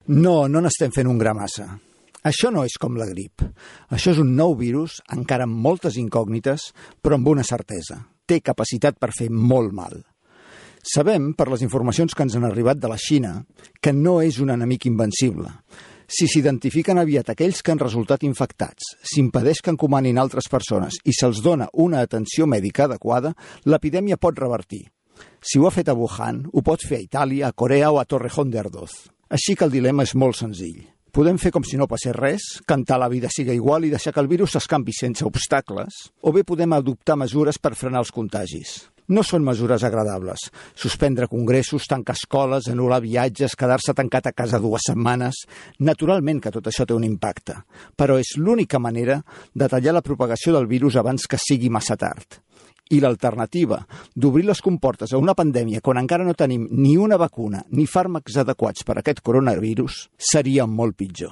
No n'estem fent un gra massa. Això no és com la grip. Això és un nou virus, encara amb moltes incògnites, però amb una certesa. Té capacitat per fer molt mal. Sabem, per les informacions que ens han arribat de la Xina, que no és un enemic invencible. Si s'identifiquen aviat aquells que han resultat infectats, s'impedeix que encomanin altres persones i se'ls dona una atenció mèdica adequada, l'epidèmia pot revertir. Si ho ha fet a Wuhan, ho pot fer a Itàlia, a Corea o a Torrejón de Ardoz. Així que el dilema és molt senzill. Podem fer com si no passés res, cantar la vida siga igual i deixar que el virus s'escampi sense obstacles, o bé podem adoptar mesures per frenar els contagis. No són mesures agradables. Suspendre congressos, tancar escoles, anul·lar viatges, quedar-se tancat a casa 2 setmanes... Naturalment que tot això té un impacte, però és l'única manera de tallar la propagació del virus abans que sigui massa tard. I l'alternativa d'obrir les comportes a una pandèmia quan encara no tenim ni una vacuna ni fàrmacs adequats per a aquest coronavirus seria molt pitjor.